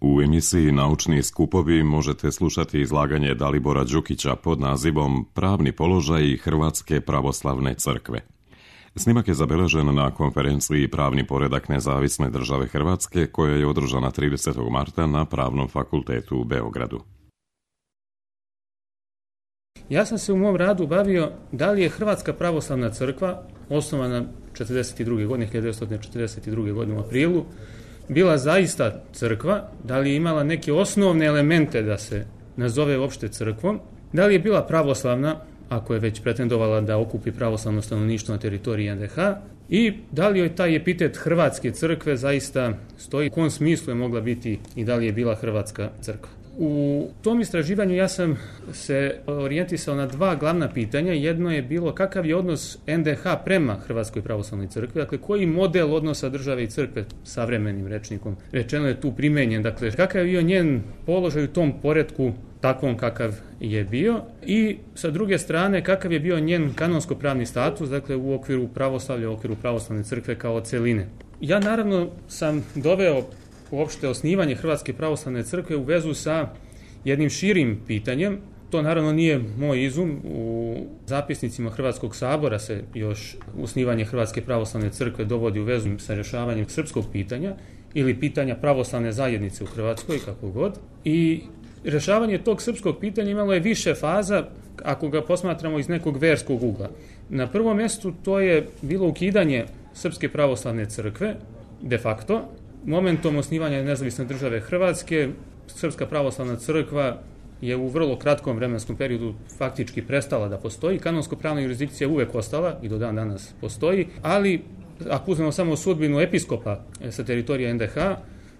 U emisiji Naučni skupovi možete slušati izlaganje Dalibora Đukića pod nazivom Pravni položaj Hrvatske pravoslavne crkve. Snimak je zabeležen na konferenciji Pravni poredak nezavisne države Hrvatske koja je održana 30. marta na Pravnom fakultetu u Beogradu. Ja sam se u mom radu bavio da li je Hrvatska pravoslavna crkva, osnovana 1942. godine u aprilu, bila zaista crkva, da li je imala neke osnovne elemente da se nazove uopšte crkvom, da li je bila pravoslavna, ako je već pretendovala da okupi pravoslavno stanovništvo na teritoriji NDH, i da li joj taj epitet Hrvatske crkve zaista stoji, u kom smislu je mogla biti i da li je bila Hrvatska crkva. U tom istraživanju ja sam se orijentisao na dva glavna pitanja. Jedno je bilo kakav je odnos NDH prema Hrvatskoj pravoslavnoj crkvi, dakle koji model odnosa države i crkve savremenim rečnikom rečeno je tu primenjen, dakle kakav je bio njen položaj u tom poretku takvom kakav je bio i sa druge strane kakav je bio njen kanonsko-pravni status, dakle u okviru pravoslavlja, u okviru pravoslavne crkve kao celine. Ja naravno sam doveo uopšte osnivanje Hrvatske pravoslavne crkve u vezu sa jednim širim pitanjem. To naravno nije moj izum. U zapisnicima Hrvatskog sabora se još osnivanje Hrvatske pravoslavne crkve dovodi u vezu sa rješavanjem srpskog pitanja ili pitanja pravoslavne zajednice u Hrvatskoj, kako god. I rješavanje tog srpskog pitanja imalo je više faza ako ga posmatramo iz nekog verskog ugla. Na prvom mjestu to je bilo ukidanje Srpske pravoslavne crkve, de facto. Momentom osnivanja nezavisne države Hrvatske, Srpska pravoslavna crkva je u vrlo kratkom vremenskom periodu faktički prestala da postoji. Kanonsko-pravna jurisdikcija uvek ostala i do dan danas postoji, ali ako uzmemo samo sudbinu episkopa sa teritorija NDH,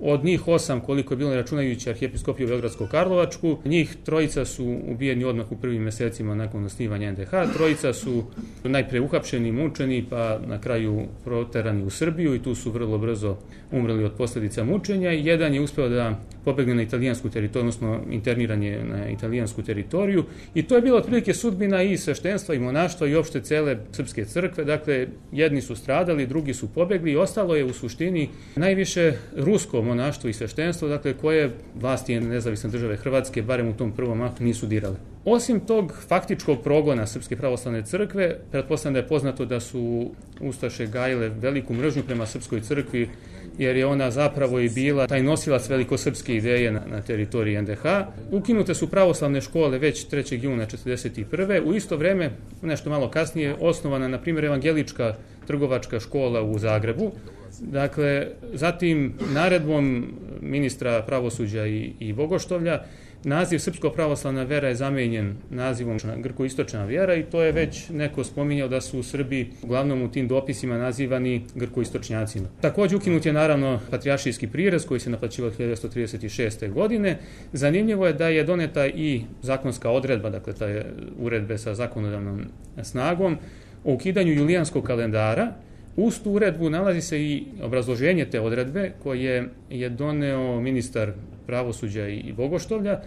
od njih 8, koliko je bilo računajući arhijepiskopiju Beogradsko-Karlovačku, njih 3 su ubijeni odmah u prvim mjesecima nakon osnivanja NDH, 3 su najpre uhapšeni, mučeni, pa na kraju proterani u Srbiju i tu su vrlo brzo umrli od posljedica mučenja. Jedan je uspeo da pobegne na italijansku teritoriju, odnosno interniran je na italijansku teritoriju i to je bila otprilike sudbina i sveštenstva i monaštva i opšte cele srpske crkve. Dakle, jedni su stradali, drugi su pobegli i ostalo je u suštini najviše rusko monaštvo i sveštenstvo, dakle koje vlasti nezavisne države Hrvatske, barem u tom prvom aktu, nisu dirale. Osim tog faktičkog progona Srpske pravoslavne crkve, pretpostavljam da je poznato da su ustaše gajile veliku mržnju prema Srpskoj crkvi, jer je ona zapravo i bila taj nosilac velikosrpske ideje na teritoriji NDH. Ukinute su pravoslavne škole već 3. juna 1941. U isto vreme, nešto malo kasnije, osnovana, na primjer, evangelička trgovačka škola u Zagrebu. Dakle, zatim naredbom ministra pravosuđa i Bogoštovlja naziv Srpsko pravoslavna vera je zamenjen nazivom Grkoistočna vjera i to je već neko spominjao da su u Srbiji uglavnom u tim dopisima nazivani Grkoistočnjacima. Također ukinut je naravno patrijaršijski prirez koji se naplaćivao 1936. godine. Zanimljivo je da je doneta i zakonska odredba, dakle taj uredbe sa zakonodavnom snagom o ukidanju julijanskog kalendara. Uz tu uredbu nalazi se i obrazloženje te odredbe koje je doneo ministar pravosuđa i Bogoštovlja,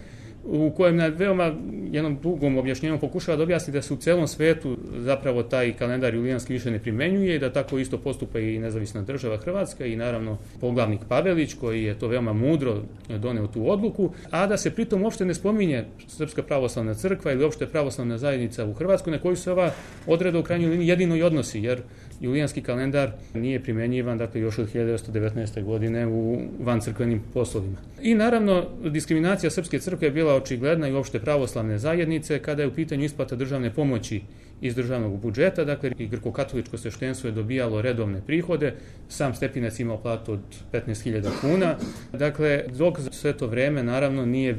u kojem na veoma jednom dugom objašnjenju pokušava da objasni da se u celom svetu zapravo taj kalendar julijanski više ne primenjuje i da tako isto postupa i nezavisna država Hrvatska i naravno poglavnik Pavelić koji je to veoma mudro doneo tu odluku, a da se pritom uopšte ne spominje Srpska pravoslavna crkva ili uopšte pravoslavna zajednica u Hrvatskoj na koju se ova odredba u krajnjoj liniji jedino i odnosi, jer julijanski kalendar nije primjenjivan, dakle, još od 1919. godine u vancrkvenim poslovima. I naravno, diskriminacija Srpske crkve je bila očigledna i uopšte pravoslavne zajednice kada je u pitanju isplata državne pomoći iz državnog budžeta, dakle i grko-katoličko sveštenstvo je dobijalo redovne prihode, sam Stepinac imao platu od 15.000 kuna, dakle dok za sve to vreme naravno nije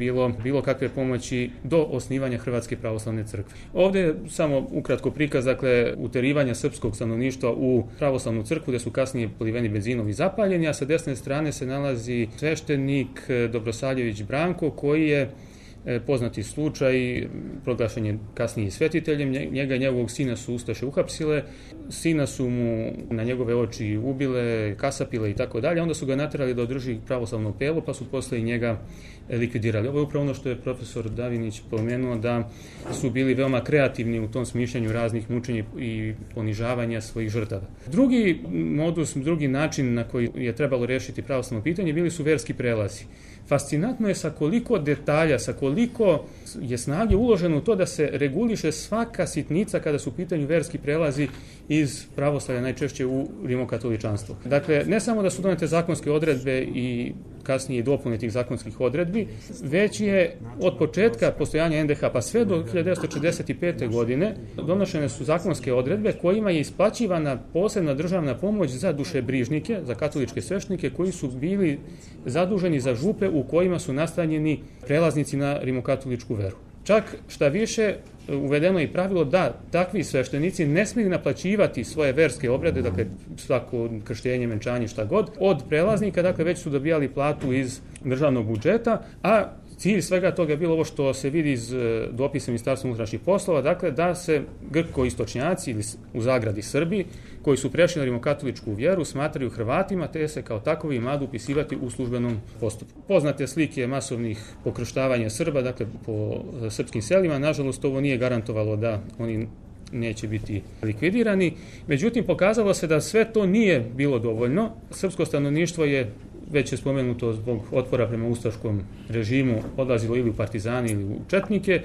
bilo kakve pomoći do osnivanja Hrvatske pravoslavne crkve. Ovdje je samo ukratko prikaz, dakle, uterivanja srpskog stanovništva u pravoslavnu crkvu gdje su kasnije poliveni benzinom i zapaljeni, a sa desne strane se nalazi sveštenik Dobrosaljević Branko koji je poznati slučaj, proglašen je kasnije svetiteljem, njega i njegovog sina su ustaše uhapsile, sina su mu na njegove oči ubile, kasapile i tako dalje, onda su ga naterali da održi pravoslavno pelo, pa su posle i njega likvidirali. Ovo je upravo ono što je profesor Davinić pomenuo, da su bili veoma kreativni u tom smišljanju raznih mučenja i ponižavanja svojih žrtava. Drugi modus, drugi način na koji je trebalo rešiti pravoslavno pitanje bili su verski prelazi. Fascinantno je sa koliko detalja, sa koliko je snage uloženo u to da se reguliše svaka sitnica kada su u pitanju verski prelazi iz pravoslavlja, najčešće u rimokatoličanstvo. Dakle, ne samo da su donete zakonske odredbe i kasnije dopune tih zakonskih odredbi, već je od početka postojanja NDH pa sve do 1945. godine donošene su zakonske odredbe kojima je isplaćivana posebna državna pomoć za dušebrižnike, za katoličke sveštenike koji su bili zaduženi za župe u kojima su nastanjeni prelaznici na rimokatoličku veru. Čak šta više, uvedeno je i pravilo da takvi sveštenici ne smiju naplaćivati svoje verske obrede, dakle svako krštenje, venčanje, šta god, od prelaznika, dakle već su dobijali platu iz državnog budžeta, a cilj svega toga je bilo ovo što se vidi iz dopisa Ministarstva unutrašnjih poslova, dakle da se grko-istočnjaci ili u zagradi Srbi koji su prešli na rimokatoličku vjeru smatraju Hrvatima, te se kao takovi imaju upisivati u službenom postupku. Poznate slike masovnih pokrštavanja Srba, dakle po srpskim selima, nažalost ovo nije garantovalo da oni neće biti likvidirani. Međutim, pokazalo se da sve to nije bilo dovoljno. Srpsko stanovništvo je, već je spomenuto, zbog otpora prema ustaškom režimu odlazilo ili u partizani ili u četnike,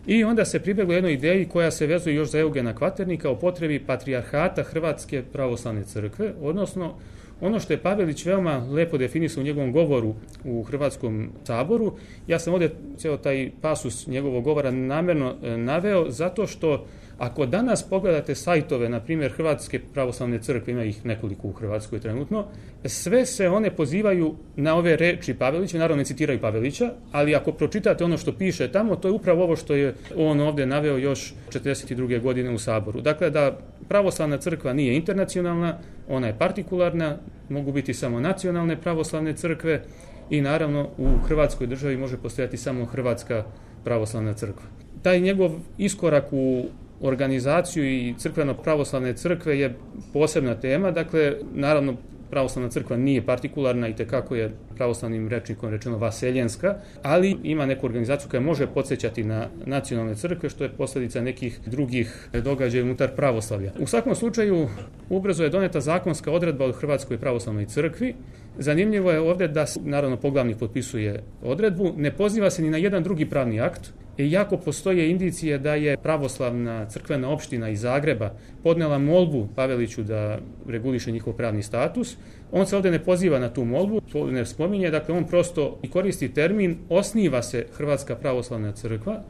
i onda se pribjeglo jednoj ideji koja se vezuje još za Eugena Kvaternika o potrebi patrijarhata Hrvatske pravoslavne crkve, odnosno ono što je Pavelić veoma lepo definisao u njegovom govoru u Hrvatskom saboru. Ja sam ovdje ceo taj pasus njegovog govora namjerno naveo zato što ako danas pogledate sajtove, na primjer Hrvatske pravoslavne crkve, ima ih nekoliko u Hrvatskoj trenutno, sve se one pozivaju na ove reči Pavelića, naravno ne citiraju Pavelića, ali ako pročitate ono što piše tamo, to je upravo ovo što je on ovdje naveo još 42. godine u Saboru. Dakle, da pravoslavna crkva nije internacionalna, ona je partikularna, mogu biti samo nacionalne pravoslavne crkve i naravno u Hrvatskoj državi može postojati samo Hrvatska pravoslavna crkva. Taj njegov iskorak u organizaciju i crkveno-pravoslavne crkve je posebna tema, dakle, naravno, pravoslavna crkva nije partikularna i tekako je pravoslavnim rečnikom rečeno vaseljenska, ali ima neku organizaciju koja može podsjećati na nacionalne crkve, što je posljedica nekih drugih događaja unutar pravoslavlja. U svakom slučaju, ubrzo je doneta zakonska odredba od Hrvatskoj pravoslavnoj crkvi. Zanimljivo je ovdje da, naravno, poglavnik potpisuje odredbu, ne poziva se ni na jedan drugi pravni akt, iako postoje indicije da je pravoslavna crkvena opština iz Zagreba podnela molbu Paveliću da reguliše njihov pravni status. On se ovdje ne poziva na tu molbu, to ne spominje, dakle on prosto i koristi termin osniva se Hrvatska pravoslavna crkva,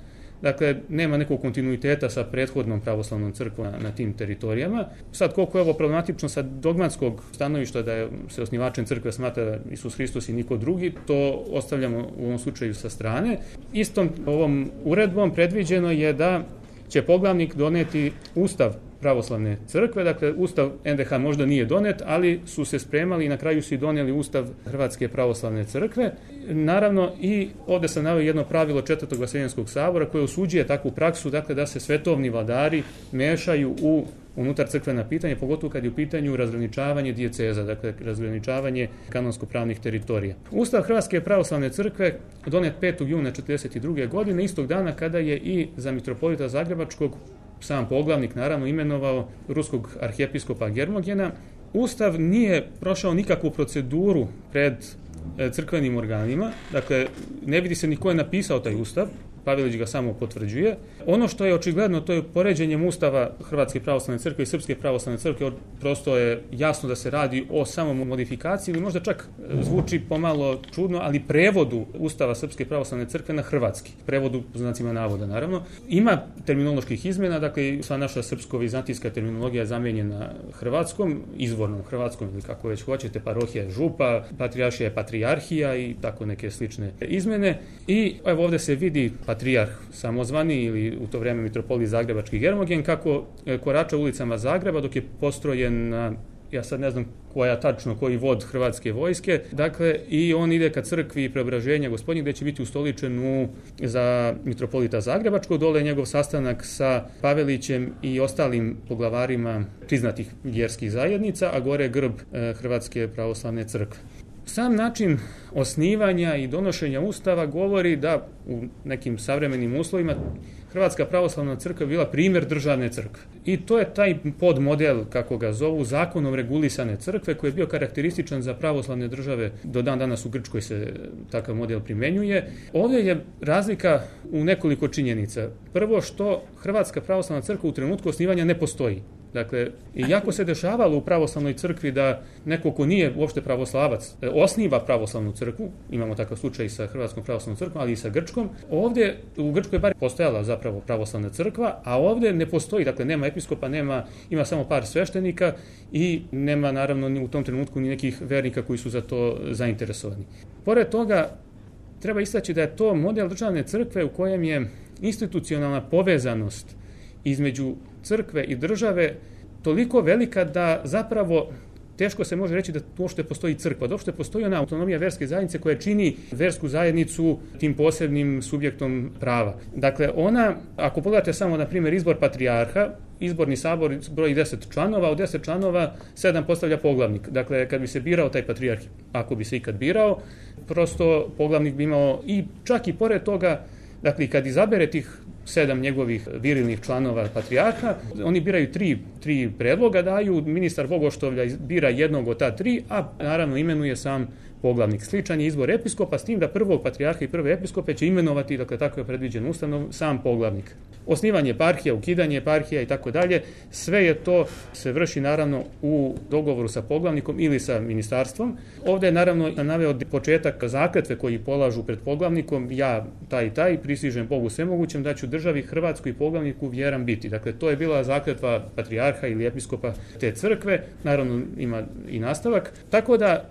dakle nema nekog kontinuiteta sa prethodnom pravoslavnom crkvom na tim teritorijama. Sad koliko je ovo problematično sa dogmatskog stanovišta da se osnivačem crkve smatra Isus Hristos i niko drugi, to ostavljamo u ovom slučaju sa strane. Istom ovom uredbom predviđeno je da će poglavnik doneti ustav pravoslavne crkve, dakle ustav NDH možda nije donet, ali su se spremali i na kraju su i donijeli ustav Hrvatske pravoslavne crkve. Naravno i ovdje sam naveo jedno pravilo Četvrtog vaseljenskog sabora koje osuđuje takvu praksu, dakle da se svetovni vladari mešaju u unutar crkvena pitanja, pogotovo kad je u pitanju razgraničavanje dijeceza, dakle razgraničavanje kanonsko-pravnih teritorija. Ustav Hrvatske pravoslavne crkve donet 5. juna 1942. godine, istog dana kada je i za mitropolita Zagrebačkog sam poglavnik naravno imenovao ruskog arhijepiskopa Germogena. Ustav nije prošao nikakvu proceduru pred crkvenim organima, dakle ne vidi se ni ko je napisao taj ustav, Pavelić ga samo potvrđuje. Ono što je očigledno, to je poređenjem ustava Hrvatske pravoslavne crkve i Srpske pravoslavne crkve, prosto je jasno da se radi o samom modifikaciji ili možda čak zvuči pomalo čudno, ali prevodu ustava Srpske pravoslavne crkve na hrvatski. Prevodu po znacima navoda, naravno. Ima terminoloških izmjena, dakle sva naša srpsko-vizantijska terminologija je zamijenjena hrvatskom, izvornom hrvatskom ili kako već hoćete, parohija je župa, patrijaršija je patrijarhija i tako neke slične izmjene. I evo ovdje se vidi patrijarh samozvani ili u to vrijeme mitropolit Zagrebački Germogen kako korača ulicama Zagreba dok je postrojen na ja sad ne znam koji vod hrvatske vojske, dakle i on ide ka crkvi Preobraženja Gospodnjeg gdje će biti ustoličen za mitropolita Zagrebačkog, dole je njegov sastanak sa Pavelićem i ostalim poglavarima priznatih vjerskih zajednica, a gore je grb Hrvatske pravoslavne crkve. Sam način osnivanja i donošenja Ustava govori da u nekim savremenim uslovima Hrvatska pravoslavna crkva bila primjer državne crkve. I to je taj podmodel, kako ga zovu, zakonom regulisane crkve, koji je bio karakterističan za pravoslavne države. Do dan danas u Grčkoj se takav model primjenjuje. Ovdje je razlika u nekoliko činjenica. Prvo, što Hrvatska pravoslavna crkva u trenutku osnivanja ne postoji. Dakle, iako se dešavalo u pravoslavnoj crkvi da neko ko nije uopšte pravoslavac osniva pravoslavnu crkvu, imamo takav slučaj sa Hrvatskom pravoslavnom crkvom, ali i sa Grčkom, ovdje u Grčkoj bar postojala zapravo pravoslavna crkva, a ovdje ne postoji, dakle nema episkopa, ima samo par sveštenika i nema naravno ni u tom trenutku ni nekih vernika koji su za to zainteresovani. Pored toga, treba istaći da je to model državne crkve u kojem je institucionalna povezanost između crkve i države toliko velika da zapravo teško se može reći da uopšte postoji crkva, da uopšte postoji ona autonomija verske zajednice koja čini versku zajednicu tim posebnim subjektom prava. Dakle, ona, ako pogledate samo na primjer izbor patrijarha, izborni sabor broji 10 članova, od 10 članova 7 postavlja poglavnik. Dakle, kad bi se birao taj patrijarh, ako bi se ikad birao, prosto poglavnik bi imao i čak i pored toga, dakle, kad izabere tih 7 njegovih virilnih članova patrijarha, oni biraju tri predloga, daju, ministar Bogoštovlja bira jednog od ta 3, a naravno imenuje sam poglavnik. Sličan je izbor episkopa, s tim da prvog patrijarha i prve episkope će imenovati, dakle tako je predviđen Ustavom, sam poglavnik. Osnivanje eparhija, ukidanje eparhija i tako dalje, sve je to se vrši naravno u dogovoru sa poglavnikom ili sa ministarstvom. Ovdje je naravno naveo početak zakletve koji polažu pred poglavnikom, ja taj i taj prisižem Bogu svemogućem da ću državi Hrvatskoj i poglavniku vjeran biti. Dakle, to je bila zakletva patrijarha ili episkopa te crkve, naravno ima i nastavak, tako da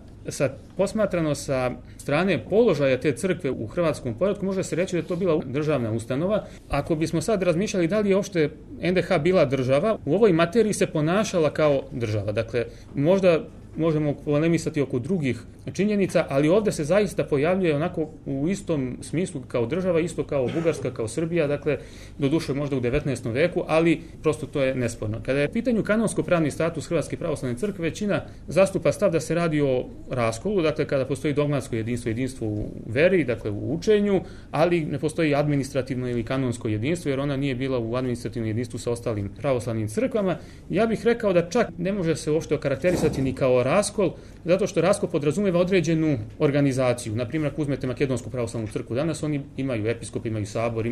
posmatrano sa strane položaja te crkve u hrvatskom poretku, može se reći da je to bila državna ustanova. Ako bismo sad razmišljali da li je uopšte NDH bila država, u ovoj materiji se ponašala kao država. Dakle, možda možemo polemisati oko drugih činjenica, ali ovdje se zaista pojavljuje onako u istom smislu kao država, isto kao Bugarska, kao Srbija, dakle, doduše možda u 19. veku, ali prosto to je nesporno. Kada je u pitanju kanonsko-pravni status Hrvatske pravoslavne crkve, većina zastupa stav da se radi o raskolu, dakle, kada postoji dogmatsko jedinstvo u veri, dakle, u učenju, ali ne postoji administrativno ili kanonsko jedinstvo, jer ona nije bila u administrativnom jedinstvu sa ostalim pravoslavnim crkvama. Ja bih rekao da čak ne može se uopšte okarakterisati ni kao raskol, zato što raskol podrazumijeva određenu organizaciju. Na primjer, ako uzmete Makedonsku pravoslavnu crkvu, danas oni imaju episkop, imaju sabor,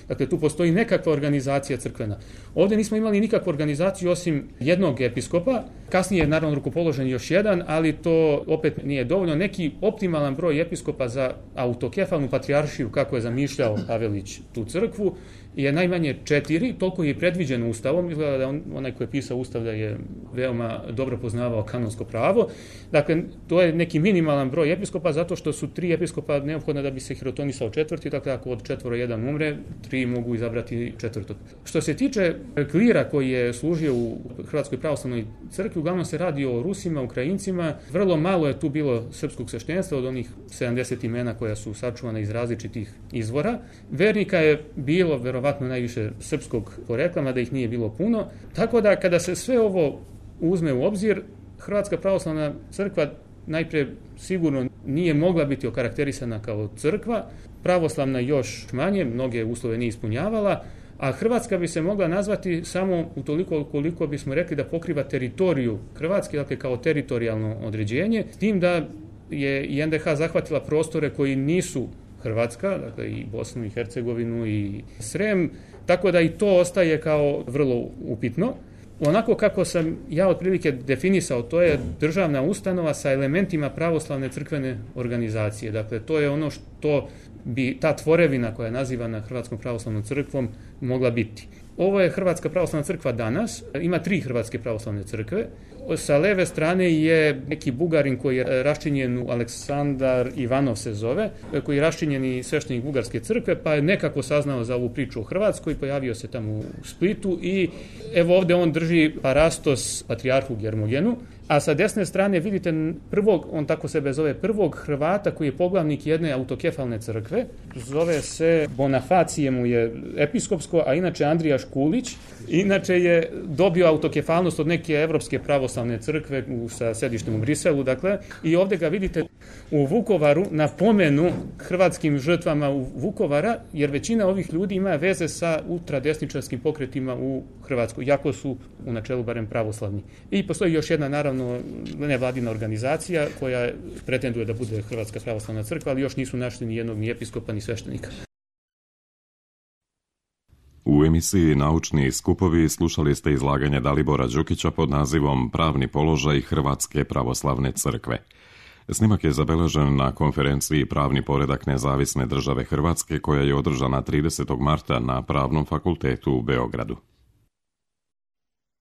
dakle tu postoji nekakva organizacija crkvena. Ovdje nismo imali nikakvu organizaciju osim jednog episkopa, kasnije je naravno rukopoložen još jedan, ali to opet nije dovoljno. Neki optimalan broj episkopa za autokefalnu patrijaršiju, kako je zamišljao Pavelić tu crkvu, je najmanje 4, toliko je predviđeno Ustavom, izgleda da onaj koji je pisao Ustav da je veoma dobro poznavao kanonsko pravo. Dakle, to je neki minimalan broj episkopa, zato što su 3 episkopa neophodna da bi se hirotonisao 4, dakle ako od 4 jedan umre, 3 mogu izabrati 4. Što se tiče klira koji je služio u Hrvatskoj pravoslavnoj crkvi, uglavnom se radi o Rusima, Ukrajincima, vrlo malo je tu bilo srpskog sveštenstva od onih 70 imena koja su sačuvana iz različitih izvora. Vernika je bilo verovatno najviše srpskog porekla, da ih nije bilo puno. Tako da kada se sve ovo uzme u obzir, Hrvatska pravoslavna crkva najprije sigurno nije mogla biti okarakterisana kao crkva, pravoslavna još manje, mnoge uslove nije ispunjavala, a Hrvatska bi se mogla nazvati samo utoliko koliko bismo rekli da pokriva teritoriju Hrvatske, dakle kao teritorijalno određenje, s tim da je i NDH zahvatila prostore koji nisu Hrvatska, dakle i Bosnu i Hercegovinu i Srem, tako da i to ostaje kao vrlo upitno. Onako kako sam ja otprilike definisao, to je državna ustanova sa elementima pravoslavne crkvene organizacije. Dakle, to je ono što bi ta tvorevina koja je nazivana Hrvatskom pravoslavnom crkvom mogla biti. Ovo je Hrvatska pravoslavna crkva danas, ima 3 Hrvatske pravoslavne crkve. Sa leve strane je neki Bugarin koji je raščinjen u Aleksandar Ivanov se zove, koji je raščinjeni sveštenik Bugarske crkve, pa je nekako saznao za ovu priču o Hrvatskoj, pojavio se tamo u Splitu i evo ovdje on drži parastos patrijarhu Germogenu, A sa desne strane vidite prvog, on tako sebe zove, prvog Hrvata koji je poglavnik jedne autokefalne crkve. Zove se Bonafacije, mu je episkopsko, a inače Andrija Škulić. Inače je dobio autokefalnost od neke evropske pravoslavne crkve sa sedištem u Briselu. Dakle, i ovdje ga vidite u Vukovaru na pomenu hrvatskim žrtvama u Vukovara, jer većina ovih ljudi ima veze sa ultradesničarskim pokretima u Hrvatskoj, jako su u načelu barem pravoslavni. I postoji još jedna, naravno, nevladina organizacija koja pretenduje da bude Hrvatska pravoslavna crkva, ali još nisu našli ni jednog ni episkopa ni sveštenika. U emisiji Naučni skupovi slušali ste izlaganje Dalibora Đukića pod nazivom Pravni položaj Hrvatske pravoslavne crkve. Snimak je zabeležen na konferenciji Pravni poredak nezavisne države Hrvatske koja je održana 30. marta na Pravnom fakultetu u Beogradu.